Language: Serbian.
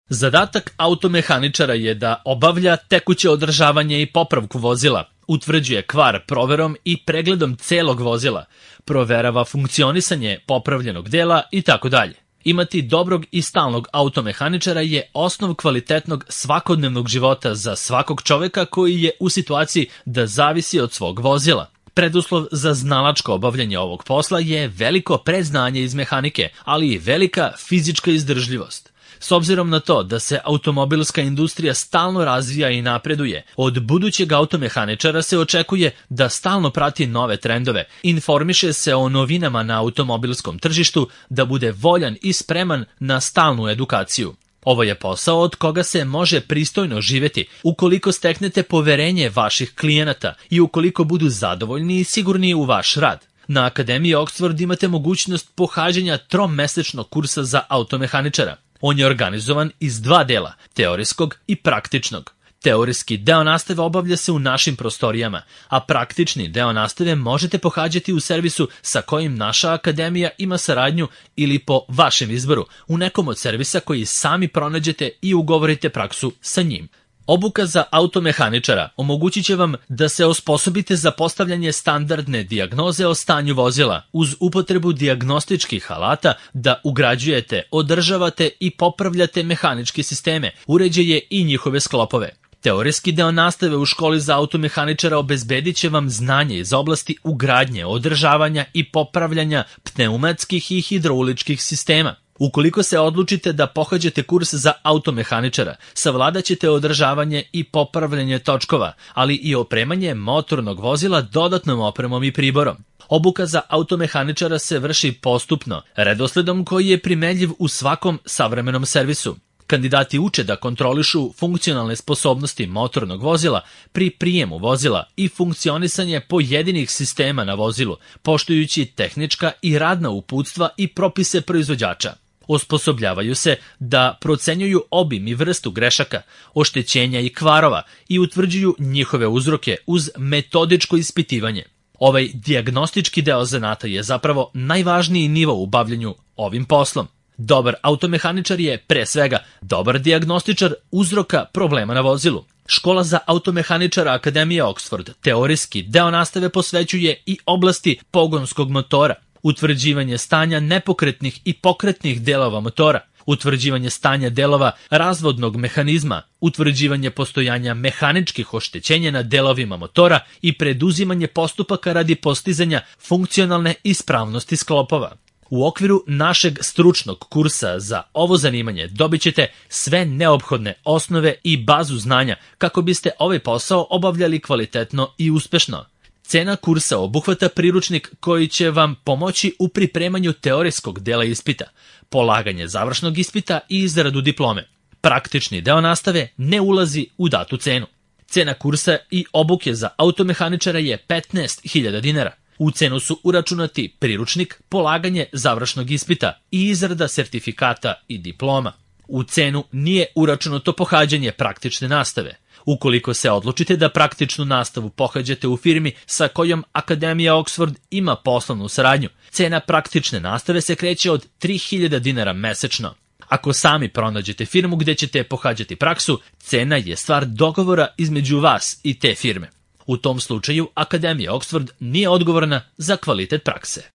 Zadatak automehaničara je da obavlja tekuće održavanje i popravku vozila, utvrđuje kvar proverom i pregledom celog vozila, proverava funkcionisanje popravljenog dela itd. Imati dobrog i stalnog automehaničara je osnov kvalitetnog svakodnevnog života za svakog čoveka koji je u situaciji da zavisi od svog vozila. Preduslov za znalačko obavljanje ovog posla je veliko predznanje iz mehanike, ali i velika fizička izdržljivost. S obzirom na to da se automobilska industrija stalno razvija i napreduje, od budućeg automehaničara se očekuje da stalno prati nove trendove, informiše se o novinama na automobilskom tržištu, da bude voljan i spreman na stalnu edukaciju. Ovo je posao od koga se može pristojno živeti ukoliko steknete poverenje vaših klijenata i ukoliko budu zadovoljni i sigurni u vaš rad. Na Akademiji Oxford imate mogućnost pohađanja 3-mesečnog kursa za automehaničara. On je organizovan iz 2 dela, teorijskog i praktičnog. Teorijski deo nastave obavlja se u našim prostorijama, a praktični deo nastave možete pohađati u servisu sa kojim naša akademija ima saradnju ili po vašem izboru, u nekom od servisa koji sami pronađete i ugovorite praksu sa njim. Obuka za automehaničara omogućit će vam da se osposobite za postavljanje standardne dijagnoze o stanju vozila uz upotrebu dijagnostičkih alata da ugrađujete, održavate i popravljate mehaničke sisteme, uređaje i njihove sklopove. Teorijski deo nastave u školi za automehaničara obezbedit će vam znanje iz oblasti ugradnje, održavanja i popravljanja pneumatskih i hidrauličkih sistema. Ukoliko se odlučite da pohađate kurs za automehaničara, savladat ćete održavanje i popravljanje točkova, ali i opremanje motornog vozila dodatnom opremom i priborom. Obuka za automehaničara se vrši postupno, redosledom koji je primenljiv u svakom savremenom servisu. Kandidati uče da kontrolišu funkcionalne sposobnosti motornog vozila pri prijemu vozila i funkcionisanje pojedinih sistema na vozilu, poštujući tehnička i radna uputstva i propise proizvođača. Osposobljavaju se da procenjuju obim i vrstu grešaka, oštećenja i kvarova i utvrđuju njihove uzroke uz metodičko ispitivanje. Ovaj dijagnostički deo zanata je zapravo najvažniji nivo u bavljenju ovim poslom. Dobar automehaničar je, pre svega, dobar dijagnostičar uzroka problema na vozilu. Škola za automehaničara Akademije Oxford teorijski deo nastave posvećuje i oblasti pogonskog motora, utvrđivanje stanja nepokretnih i pokretnih delova motora, utvrđivanje stanja delova razvodnog mehanizma, utvrđivanje postojanja mehaničkih oštećenja na delovima motora i preduzimanje postupaka radi postizanja funkcionalne ispravnosti sklopova. U okviru našeg stručnog kursa za ovo zanimanje dobit ćete sve neophodne osnove i bazu znanja kako biste ovaj posao obavljali kvalitetno i uspešno. Cena kursa obuhvata priručnik koji će vam pomoći u pripremanju teorijskog dela ispita, polaganje završnog ispita i izradu diplome. Praktični deo nastave ne ulazi u datu cenu. Cena kursa i obuke za automehaničara je 15.000 dinara. U cenu su uračunati priručnik, polaganje završnog ispita i izrada sertifikata i diploma. U cenu nije uračunato pohađanje praktične nastave. Ukoliko se odlučite da praktičnu nastavu pohađate u firmi sa kojom Akademija Oxford ima poslovnu saradnju, cena praktične nastave se kreće od 3.000 dinara mesečno. Ako sami pronađete firmu gde ćete pohađati praksu, cena je stvar dogovora između vas i te firme. U tom slučaju Akademija Oxford nije odgovorna za kvalitet prakse.